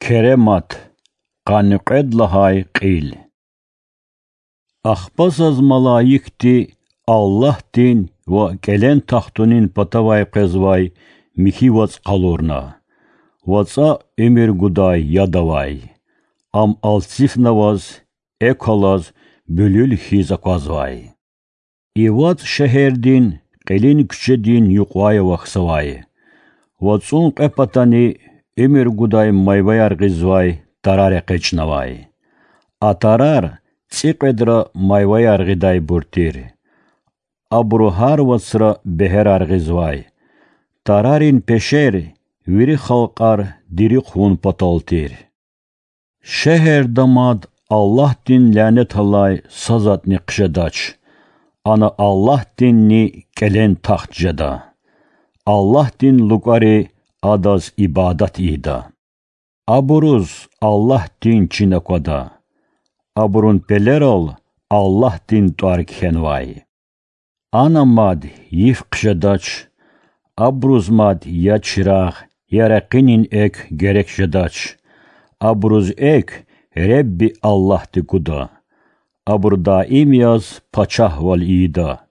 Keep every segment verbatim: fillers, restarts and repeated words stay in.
Keremat, qanqed lahay qil. Ахпас az malayikti Allah din ve gelen tahtunin patavay qezvay mihi vac qalurna. Vaca emir guday yadavay. Am altsif navaz, ekolaz, bülül hizakazvay. İvat şeherdin, qelin küçedin yuqvay vaxsavay. Vacun qepatani emir guday mayvayar qizvay tarare qeçnavay. Atarar циqedra mayvayar qiday burtir. Abru har vacra beherar qizvay. Tararin peşer, viri xalqar diri xun pataltir. Şehir damad Allah din lanet halay sazatni qşedaç. Ana Allah dinni gelen taxt jeda. Allah din lugari adaz ibadat ida. Aburuz Allah din çinakoda. Aburun pelerol Allah din tuark henvay. Anamad yif qşedaç. Abruzmad ya çıraq, ya raqinin ek gerek jedaç. Abruz ek Rebbi Allah dikuda. Abur daim yaz paçah val ida.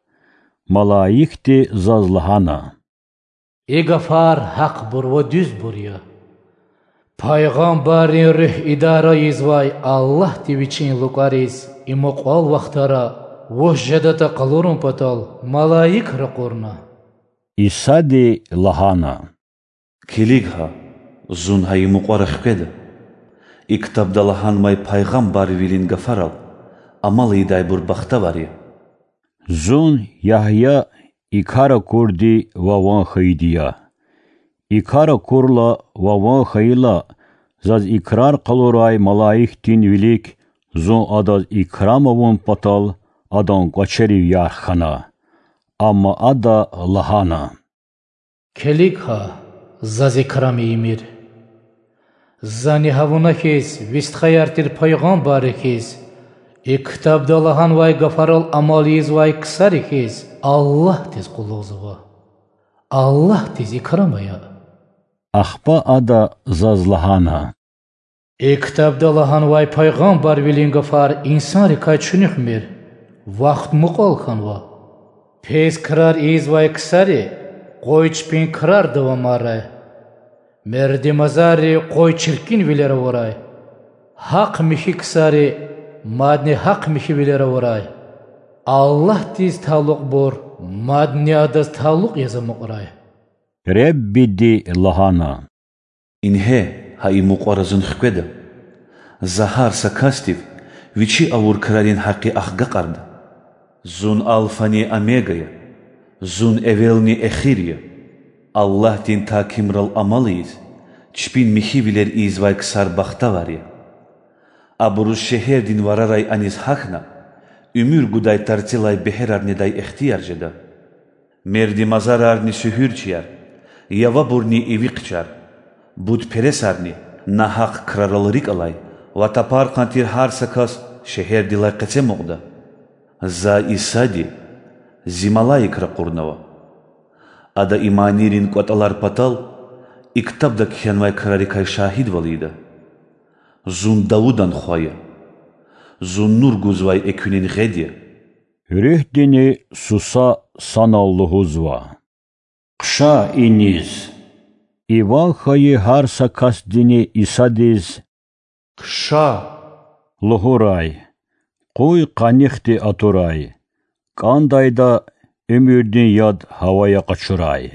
Malayikti zazlahana. Egafar haq bur ve düz burya. Peygamberin rüh idara izvay Allah diviçin lukariz imoqal vaxtara vojjadata qalurun patal malayik raqurna. İsadi lahana. Kiligha zun hay muqaraq keda. İktabda lahan may peygamber vilin gafaral. Amal iday bur baxta var ya. Zun Yahya ikara kurdi vavan khaydiya. İkara kurla vavan khayla zaz ikrar qaluray malayik din vilik zun adaz ikramavun patal adan qaçeri yarxana. Amma ada lahana. Keligha zaz ikrami imir. Zani havuna kes vistkhayartir peygamber kes. İktabda lahan vay gafaral amaliz vay kısar kes. Allah tez quluzva. Allah tez ikramaya. Ахпа ада зазлахана. İktabda lahan vay peygamber vilin gafar insan rikay çünük mir. Vaqt muqal khanva. Pes kırar iz vay kısari. Qoyç pin kırar davamara. Merdi mazari qoy çirkin vilere varay. Haq mihi kısari. Madni haq mihi vilere varay. Allah tiz taluk bor. Madni adaz taluk yazamuk varay. Rebbi di lahana. İnhe hay muqarazın xkeda. Zahar sakastiv viçi avur kralin haqqi axga qarda. Zun alfani amegaya. Zun evelni ekhiriya. Allah din takimral amalıyız. Çpin mihi biler izvay kısar baxta var ya. Aburuz şehir din vararay aniz haqna. Ümür guday tartilay beherar neday ihtiyar jeda. Merdi mazararni sühürçiyar. Yava burni eviqçar. Bud peresarni nahaq kraralrik alay. Vatapar qantir har sakas şehir dilay qetem oqda. Za isadi zimalayik raqurnava. Ada imanirin qatalar patal iktabda khenvay krarikay şahid valida. Zun Davudan khoya. Zun nur guzvay ekünin ghediya. Rühdini susa sanalluhuzva. Qşa iniz. İvan khayı har sakas dini isadiz. Qşa. Luhuray. Qoy qanixti aturay. Qandayda ömürdin yad havaya qaçuray.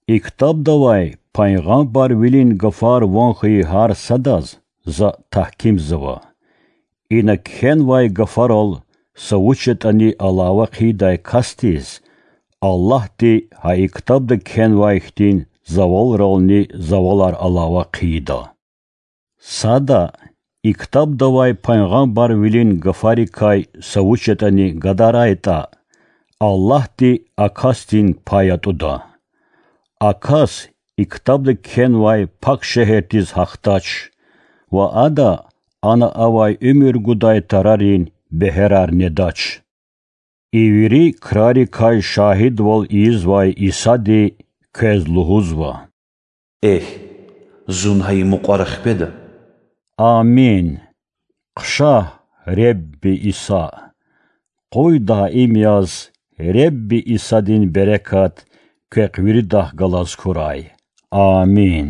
İktab davay Peygamber vilin gafar van khayı har sadaz za tahkim zava. İna khen vay gafaral savuchet ani alava qiday kastiz. Allah di ha iktabda khen vay khtin zaval ralni zavalar alava qida. Sada iktab davay Peygamber vilin gafari kay savuchet ani gadarayta. Allah di akastin payatuda. Akas iktabda khen vay pak şehirtiz haqtaç. Va ada ana avay ömür guday tararin beherar nedaç. İviri krari kay şahid vol iz vay isadi kez luhuzva. Eh, зун ҳаи муқвара хикведа. Амин. Қша Ребби Иса. Қой даим яз Ребби Исадин берекат кеқвирдах галаз курай. Амин.